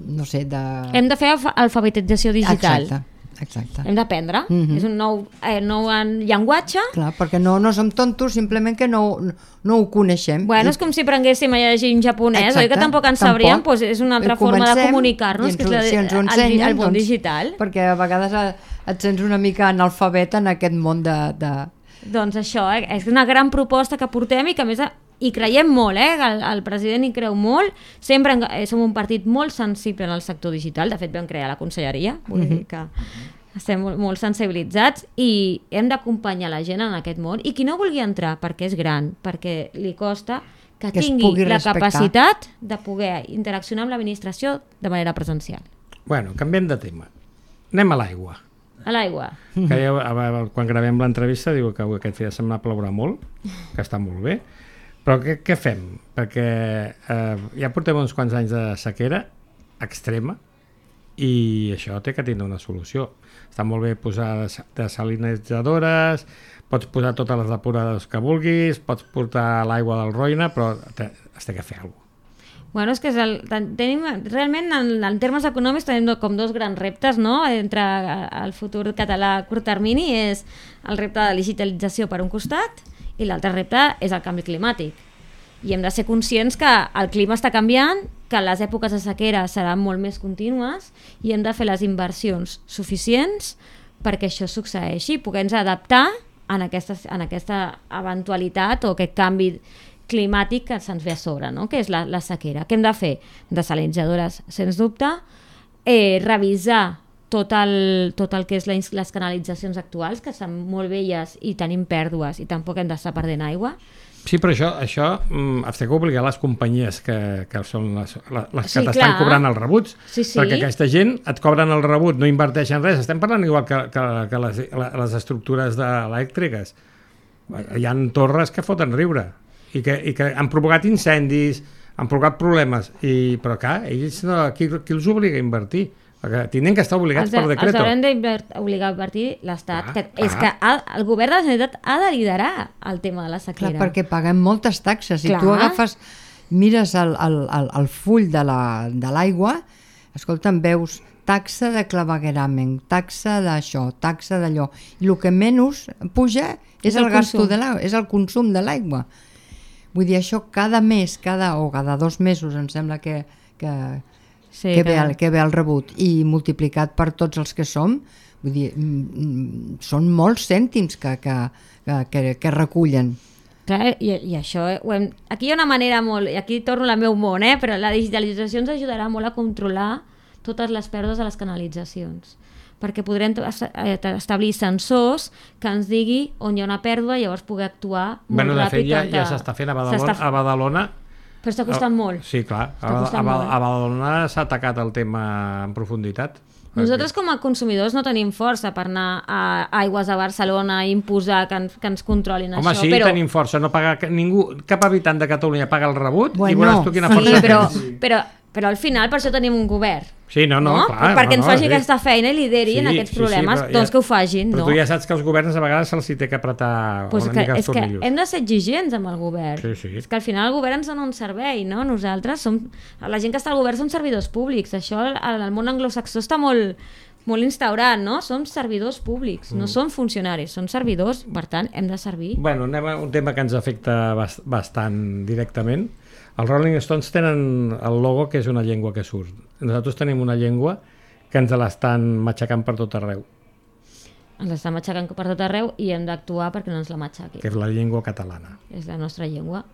no sé, de... Hem de fer alfa- alfabetització digital. Exacte, exacte. Hem d'aprendre. Mhm. És un nou, eh, nou en llenguatge. Clar, perquè no, no som tontos, simplement que no, no ho coneixem. Bueno, I- és com si prenguéssim a llegir en japonès, Exacte, oi que tampoc en tampoc. sabríem? Doncs és una altra Eh, forma de comencem comunicar-nos, i que és ens ho- la, si ens ho el, ensenyen, el món doncs, digital. Perquè a vegades eh, et sents una mica analfabet en aquest món de... de... Doncs això, eh? És una gran proposta que portem i que a més hi creiem molt, eh? el, el president hi creu molt, sempre en, eh, som un partit molt sensible en el sector digital, de fet vam crear la conselleria, vull dir que estem molt, molt sensibilitzats i hem d'acompanyar la gent en aquest món i qui no vulgui entrar perquè és gran, perquè li costa, que, Que es tingui pugui la respectar. capacitat de poder interaccionar amb l'administració de manera presencial. Bueno, canviem de tema. Anem a l'aigua. A l'aigua. Que ja, a- a- quan gravem l'entrevista diu que avui aquest fi de setmana plourà molt, que està molt bé, però què, què fem? Perquè eh, ja portem uns quants anys de sequera extrema i això té que tindre una solució. Està molt bé posar des- desalinitzadores, pots posar totes les depuradores que vulguis, pots portar l'aigua del Roine, però te, es té que fer alguna cosa. Bueno, és que és el, ten- tenim, realment en, en termes econòmics tenim do- com dos grans reptes, no? Entre eh, el futur català a curt termini és el repte de la digitalització per un costat i l'altre repte és el canvi climàtic. I hem de ser conscients que el clima està canviant, que les èpoques de sequera seran molt més contínues i hem de fer les inversions suficients perquè això succeeixi i poder-nos adaptar en aquesta, en aquesta eventualitat o aquest canvi climàtic que se'ns ve a sobre, no? Que és la, la sequera. Què hem de fer? Desalinitzadores, sens dubte, eh, revisar tot el, tot el que és les, les canalitzacions actuals, que són molt velles i tenim pèrdues i tampoc hem d'estar perdent aigua. Sí, però això, això mm, has de obligar les companyies que, que són les, les, les que Sí, t'estan clar. cobrant els rebuts, Sí, sí. perquè aquesta gent et cobren el rebut, no inverteixen res. Estem parlant igual que, que, que les, les estructures de, elèctriques. Hi ha torres que foten riure i que, i que han provocat incendis, han provocat problemes, i, però clar, ells no, qui, qui els obliga a invertir? Perquè tenen que estar obligats Els, per els decreto. haurem d'obligar a invertir l'Estat, Clar, que clar. és que ha, el govern de la Generalitat ha de liderar el tema de la Clar, sequera. perquè paguem moltes taxes. Si Clar. tu agafes, mires el, el, el, el full de la- de l'aigua, escolta'm, veus taxa de clavegueramen, taxa d'això, taxa d'allò. I el que menys puja és, És el, el gasto consum. de l'aigua, és el consum de l'aigua. Vull dir, això cada mes, cada, o cada dos mesos, em sembla que, que, Sí, que, que- ve el, que ve el rebut, i multiplicat per tots els que som, vull dir, mm, mm, són molts cèntims que, que, que, que, que recullen. Clar, i, i això ho hem... Aquí hi ha una manera molt... I aquí torno al meu món, eh? Però la digitalització ens ajudarà molt a controlar totes les pèrdues de les canalitzacions, perquè podrem to- est- eh, establir sensors que ens digui on hi ha una pèrdua i llavors poder actuar molt Bueno, de ràpid. fet, ja, on de- ja s'està fent a Badalona. s'està- A Badalona Però està costant molt. Sí, clar. Està A, a, costant molt, eh? a Badalona s'ha atacat el tema en profunditat. Nosaltres com a consumidors no tenim força per anar a Aigües de Barcelona i imposar que, en, que ens controlin Home, això. sí, però... tenim força. No paga, ca- ningú, cap habitant de Catalunya paga el rebut i Bueno, veuràs tu quina Sí, força però, tens. però, però al final per això tenim un govern. Sí, no, no, clar. Perquè no, ens no, faci sí. aquesta feina i lideri en aquests problemes, però doncs que ho facin, però no? tu ja saps que els governs a vegades se'ls hi té que apretar Pues una que, mica els és que tornillos. hem de ser exigents amb el govern. Sí, sí. És que al final el govern ens dona un servei, no? Nosaltres som... La gent que està al govern són servidors públics. Això al, al món anglosaxó està molt, molt instaurat, no? Som servidors públics, Mm. no són funcionaris, són servidors, per tant, hem de servir. Bueno, anem a un tema que ens afecta bast bastant directament. Els Rolling Stones tenen el logo que és una llengua que surt. Nosaltres tenim una llengua que ens l'estan matxacant per tot arreu, Ens està matxacant per tot arreu i hem d'actuar perquè no ens la matxaqui. que és la llengua catalana. És la nostra llengua.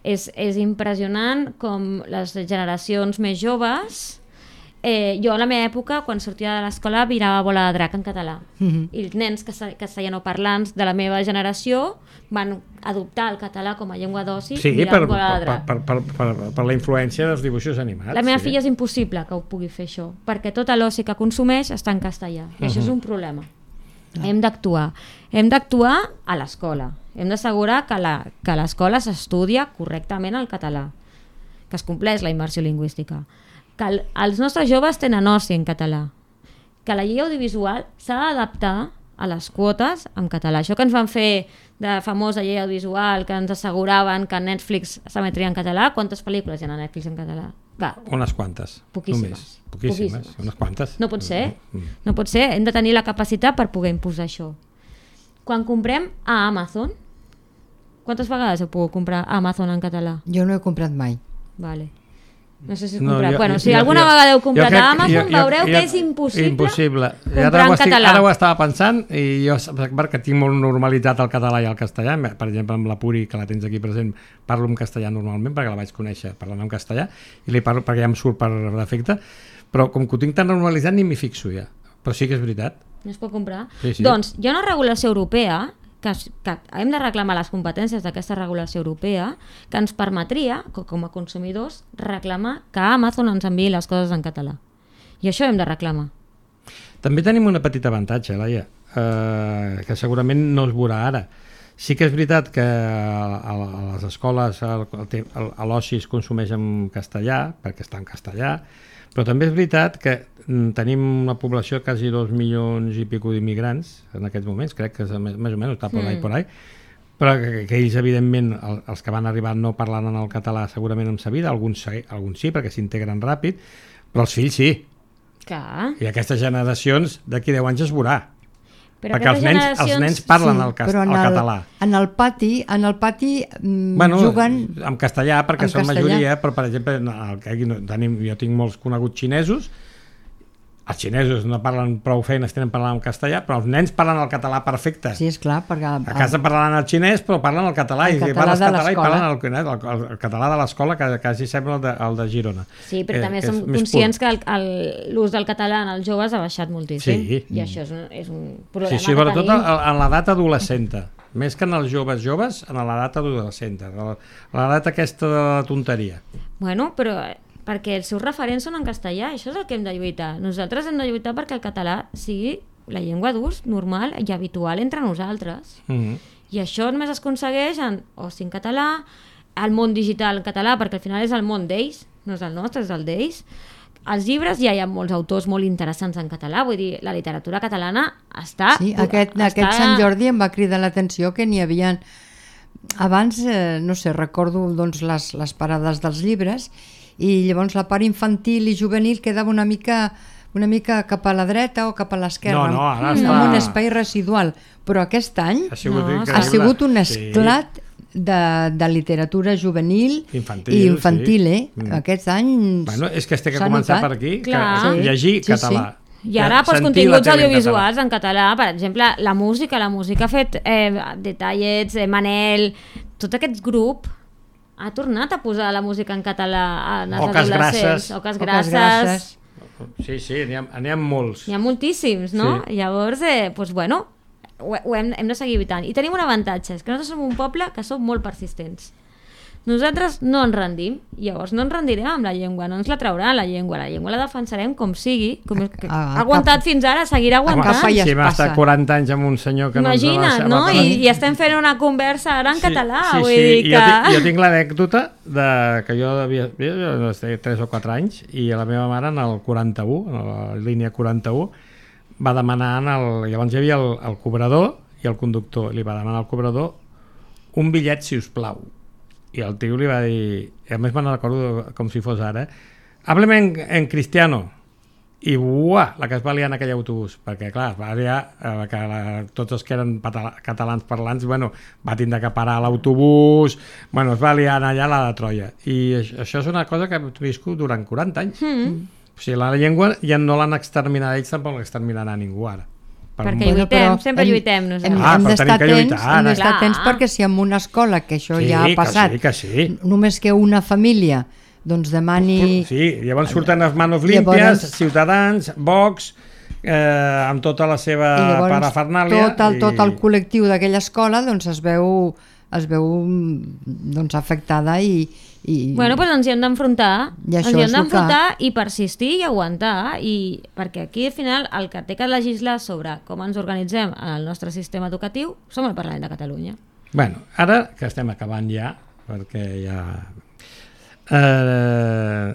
És, és impressionant com les generacions més joves Eh, jo a la meva època, quan sortia de l'escola, mirava Bola de drac en català. Mhm. I els nens castellanoparlants de la meva generació van adoptar el català com a llengua d'oci Sí, mirant per, Bola de per, drac. per, per, per, per la influència dels dibuixos animats. La meva sí. filla és impossible que ho pugui fer això, perquè tot l'oci que consumeix està en castellà, i això és un problema. Hem d'actuar. Hem d'actuar a l'escola. Hem d'assegurar que la, que l'escola s'estudia correctament el català, que es compleix la immersió lingüística, que el, els nostres joves tenen oci en català, que la llei audiovisual s'ha d'adaptar a les quotes en català. Això que ens van fer de famosa llei audiovisual, que ens asseguraven que Netflix s'emetria en català, quantes pel·lícules hi ha a Netflix en català? Va, Unes quantes. Poquíssimes. Només. Poquíssimes. Poquíssimes. Unes quantes. no pot ser, Mm. no pot ser. Hem de tenir la capacitat per poder imposar això. Quan comprem a Amazon, quantes vegades heu pogut comprar a Amazon en català? Jo no he comprat mai. Vale. No sé si has No, comprat. jo- bueno, jo- si jo- alguna jo- vegada heu jo comprat crec- a Amazon, jo- jo- veureu jo- que és impossible, impossible. I comprar ara, ho en estic, català. ara ho estava pensant i jo, perquè tinc molt normalitzat el català i el castellà, per exemple amb la Puri, que la tens aquí present, parlo en castellà normalment perquè la vaig conèixer parlant en castellà i li parlo perquè ja em surt per defecte, però com que ho tinc tan normalitzat ni m'hi fixo ja. Però sí que és veritat. no es pot comprar. Sí, sí. Doncs hi ha una regulació europea que, es- que hem de reclamar les competències d'aquesta regulació europea que ens permetria, co- com a consumidors, reclamar que Amazon ens enviï les coses en català. I això hem de reclamar. També tenim una petita avantatge, Laia, eh, que segurament no es veurà ara. Sí que és veritat que a, a les escoles el- el te- el- a l'oci es consumeix en castellà, perquè està en castellà, però també és veritat que mm, tenim una població de quasi dos milions i pico d'immigrants en aquests moments, crec que és més, més o menys, està por ahí, Mm. por ahí, però que, que ells, evidentment, el, els que van arribar no parlaven el català segurament en sa vida, alguns, sí- alguns sí, perquè s'integren ràpid, però els fills sí. Clar. I aquestes generacions d'aquí deu anys es veurà. Però Perquè els aquestes nens, els generacions- nens parlen el, cas, però en el català. En el pati, en el pati mm, Bueno, juguen... en castellà, perquè en són castellà. majoria, però per exemple, no, aquí no, tenim, jo tinc molts coneguts xinesos, els xinesos no parlen prou feines, tenen parlant en castellà, però els nens parlen el català perfecte. Sí, és clar, perquè... A casa parlaven el xinès, però parlen el català, El i català parles de català i l'escola. parlen el, el, el, el català de l'escola, que quasi sembla el de, el de Girona. Sí, però Eh, també és som més conscients pur. que el- el- l'ús del català en els joves ha baixat moltíssim. Sí. I això és un, és un Sí, problema sí, que sobretot tenim. en en l'edat adolescenta. Més que en els joves joves, en l'edat adolescenta. L'edat aquesta de la tonteria. Bueno, però eh, perquè els seus referents són en castellà, això és el que hem de lluitar. Nosaltres hem de lluitar perquè el català sigui la llengua d'ús normal i habitual entre nosaltres. Mm -hmm. I això només es aconsegueix en oci en català, el món digital en català, perquè al final és el món d'ells, no és el nostre, és el d'ells. Els llibres ja hi ha molts autors molt interessants en català, vull dir, la literatura catalana està... Sí, aquest, està... aquest Sant Jordi em va cridar l'atenció que n'hi havia... Abans, eh, no sé, recordo doncs, les, les parades dels llibres i llavors la part infantil i juvenil quedava una mica una mica cap a la dreta o cap a l'esquerra, No, no, ara amb està- un espai residual. Però aquest any Ha sigut No, increïble. ha sigut un Sí. esclat de, de literatura juvenil Infantil, i infantil, sí. eh? Mm. Aquests anys Bueno, és que este que s'ha començar notat. per aquí, Clar. que llegir Sí, català. I ara, doncs, Sentir continguts la tele en audiovisuals català. en català, per exemple, la música, la música ha fet eh, Detallets, eh, Manel, tot aquest grup ha tornat a posar la música en català en els Oques adolescents. grasses. Oques Oques grasses. grasses. Sí, sí, n'hi ha, n'hi ha molts. N'hi ha moltíssims, no? Sí. Llavors, eh, doncs, bueno, ho, ho hem, hem de seguir evitant. I tenim un avantatge, és que nosaltres som un poble que som molt persistents. Nosaltres no ens rendim, llavors no ens rendirem amb la llengua, no ens la trauran la llengua, la llengua la defensarem com sigui, com és que A- a ha aguantat cap- fins ara, seguirà Home, aguantant. capa i es si hem passa. estat quaranta anys amb un senyor que Imagina't, no ens la no? la- I, I estem fent una conversa ara en català, sí, vull sí. dir I que... Jo tinc, jo tinc l'anècdota de que jo devia jo, jo no sé, tres o quatre anys i la meva mare en el quaranta-u, en la línia quaranta-u, va demanar, en el, llavors hi havia el, el cobrador i el conductor, li va demanar al cobrador un bitllet, si us plau. I el tio li va dir, i a més me'n recordo com si fos ara, hábleme en, en cristiano. I buah, la que es va liar en aquell autobús, perquè clar, es va liar eh, que la, tots els que eren patala, catalans parlants, bueno, va tindre que parar l'autobús, bueno, es va liar allà la de Troia. I això, això és una cosa que hem viscut durant quaranta anys. Mm. O sigui, la llengua ja no l'han exterminat ells, tampoc l'exterminarà ningú ara. Per Perquè molt- lluitem, però sempre lluitem nosaltres. Hem, Ah, hem però d'estar tenim que atents, lluitar, hem d'estar clar. atents perquè si en una escola, que això Sí, ja ha que passat, sí, que sí. només que una família doncs demani... Sí, llavors surten els manos limpias, llavors... Ciutadans, Vox, eh, amb tota la seva parafernàlia. Tot el, i... tot el col·lectiu d'aquella escola doncs, es veu, es veu doncs, afectada i, i... Bueno, doncs ens hi hem d'enfrontar, ens hi hem d'enfrontar que... i persistir i aguantar, i perquè aquí al final el que té que legislar sobre com ens organitzem en el nostre sistema educatiu som el Parlament de Catalunya. Bueno, ara que estem acabant ja, perquè ja... Eh,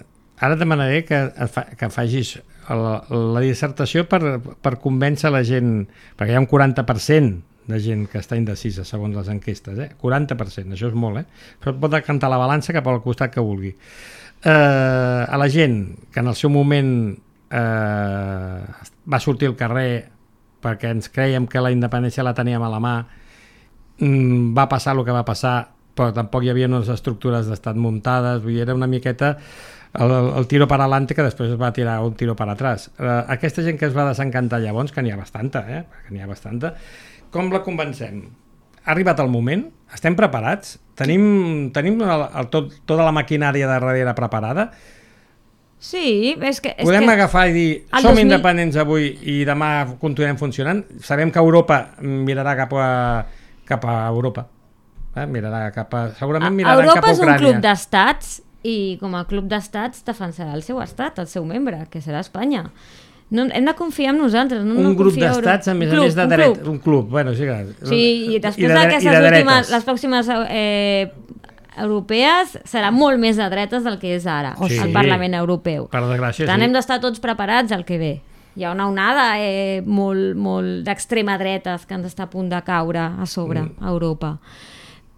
ara demanaré que, fa, que facis la, la dissertació per, per convèncer la gent, perquè hi ha un quaranta per cent de gent que està indecisa segons les enquestes, eh? quaranta per cent, això és molt, eh? Però pot decantar la balança cap al costat que vulgui. Eh, a la gent que en el seu moment eh, va sortir al carrer perquè ens creiem que la independència la teníem a la mà, mm, va passar el que va passar, però tampoc hi havia unes estructures d'estat muntades, vull dir, era una miqueta el, el tiro per adelante que després es va tirar un tiro per atrás. Eh, aquesta gent que es va desencantar llavors, que n'hi ha bastanta, eh? que n'hi ha bastanta, com la convencem? Ha arribat el moment? Estem preparats? Tenim, tenim el, el, tot, tota la maquinària de darrere preparada? Sí, és que... És Podem que agafar i dir, som dos mil... independents avui i demà continuem funcionant? Sabem que Europa mirarà cap a, cap a Europa. Eh, mirarà cap a... Segurament miraran Europa cap a Ucrània. Europa és un club d'estats i com a club d'estats defensarà el seu estat, el seu membre, que serà Espanya. No, hem de confiar en nosaltres. No, un no grup d'estats, a més club, a més de dret. Un club. Bueno, sí, que... sí, i després I de, d'aquestes de últimes, les pròximes eh, europees serà molt més de dretes del que és ara, oh, sí. el Parlament Europeu. Per desgràcia, per tant, sí. hem d'estar tots preparats al que ve. Hi ha una onada eh, molt, molt d'extrema dretes que ens està a punt de caure a sobre mm. a Europa.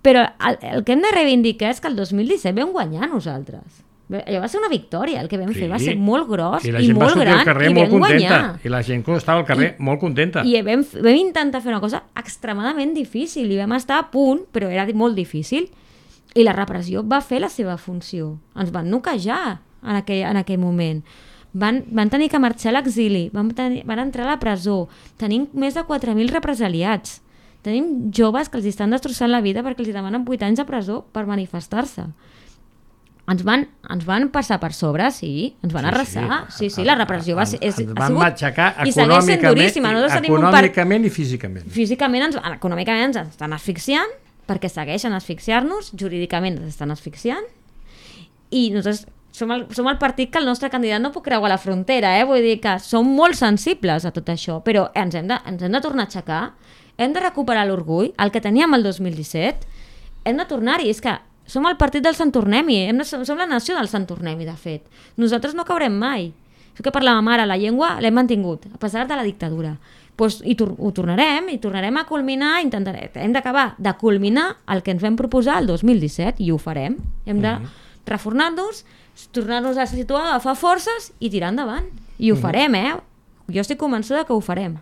Però el, el que hem de reivindicar és que el dos mil disset vam guanyar nosaltres. Allò va ser una victòria, el que vam sí. fer va ser molt gros i, i molt gran, i vam guanyar. I la gent que estava al carrer I, molt contenta. I vam, vam intentar fer una cosa extremadament difícil i vam estar a punt, però era molt difícil. I la repressió va fer la seva funció. Ens van noquejar en aquell, en aquell moment. Van, van tenir que marxar a l'exili, van, tenir, van entrar a la presó. Tenim més de quatre mil represaliats. Tenim joves que els estan destrossant la vida perquè els demanen vuit anys de presó per manifestar-se. Ens van, ens van passar per sobre, sí, ens van sí, arrasar, sí, sí, la repressió va ser... És, ens van sigut, matxacar econòmicament, econòmicament i físicament. Físicament, ens, econòmicament ens estan asfixiant, perquè segueixen asfixiar-nos, jurídicament ens estan asfixiant, i nosaltres som el, som el partit que el nostre candidat no pot creuar la frontera, eh? Vull dir que som molt sensibles a tot això, però ens hem de, ens hem de tornar a aixecar, hem de recuperar l'orgull, el que teníem el dos mil disset, hem de tornar-hi, és que som el partit del Sant Tornem-hi, hem de, som la nació del Sant Tornem-hi, de fet. Nosaltres no caurem mai. Això que parlàvem ara, la llengua l'hem mantingut, a pesar de la dictadura. Pues, I tor ho tornarem, i tornarem a culminar, intentarem, hem d'acabar de culminar el que ens vam proposar el dos mil disset, i ho farem. Hem de reformar-nos, tornar-nos a situar, agafar forces i tirar endavant. I ho farem, eh? Jo estic convençuda que ho farem.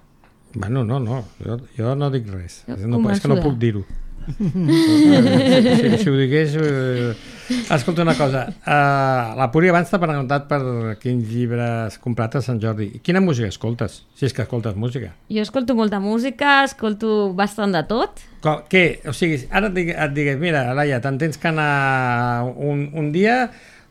Bueno, no, no, jo, jo no dic res. No, és que no puc dir-ho. si, si ho digués eh, escolta una cosa uh, la Puri abans t'ha preguntat per quins llibres comprat a Sant Jordi. Quina música escoltes? Si és que escoltes música. Jo escolto molta música, escolto bastant de tot. Com, què? O sigui, ara et, digue, et digues, mira, Laia, te'n tens que anar un, un dia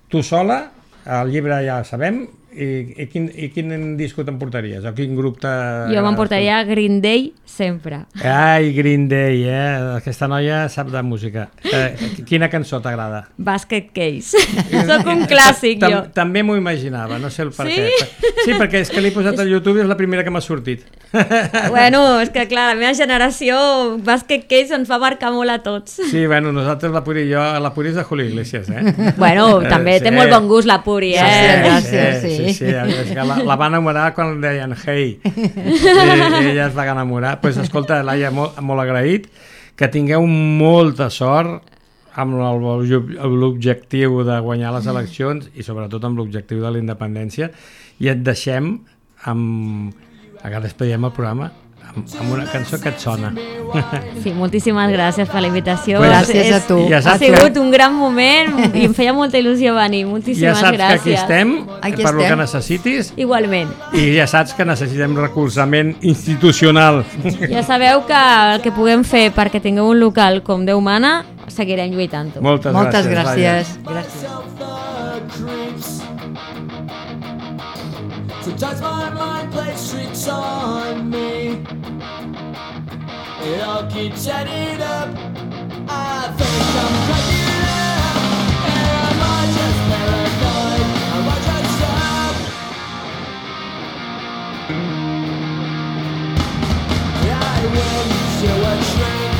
tu sola, el llibre ja sabem, i, i, quin, i quin disco t'emportaries? O quin grup te... Jo m'emportaria Green Day sempre. Ai, Green Day, eh? Aquesta noia sap de música. Eh, quina cançó t'agrada? Basket Case. Soc un clàssic, Tam jo. També m'ho imaginava, no sé el per sí? què. Sí, perquè és que l'he posat al YouTube i és la primera que m'ha sortit. Bueno, és que clar, la meva generació Basket Case ens fa marcar molt a tots. Sí, bueno, nosaltres, la Puri i jo, la Puri és de Julio Iglesias, eh? Bueno, també eh, té sí. molt bon gust la Puri, eh? Sí, gràcies, sí. Sí, sí, és que la, la va enamorar quan deien hey, i, i ella es va enamorar. Pues escolta, Laia, molt, molt agraït, que tingueu molta sort amb l'objectiu de guanyar les eleccions i sobretot amb l'objectiu de la independència, i et deixem amb... Ara despediem el programa amb una cançó que et sona. Sí, moltíssimes gràcies per la invitació. Pues gràcies és, a tu. Ja ha sigut que... un gran moment i em feia molta il·lusió venir. Moltíssimes gràcies. Ja saps gràcies. que aquí estem, aquí per estem. lo que necessitis. Igualment. I ja saps que necessitem recolzament institucional. Ja sabeu que el que puguem fer perquè tingueu un local com Déu mana, seguirem lluitant-ho. Moltes, Moltes gràcies. gràcies. gràcies. Sometimes my mind plays tricks on me. It all keeps adding up. I think I'm cracking up. Am I just paranoid? Am I just up? I went to a train.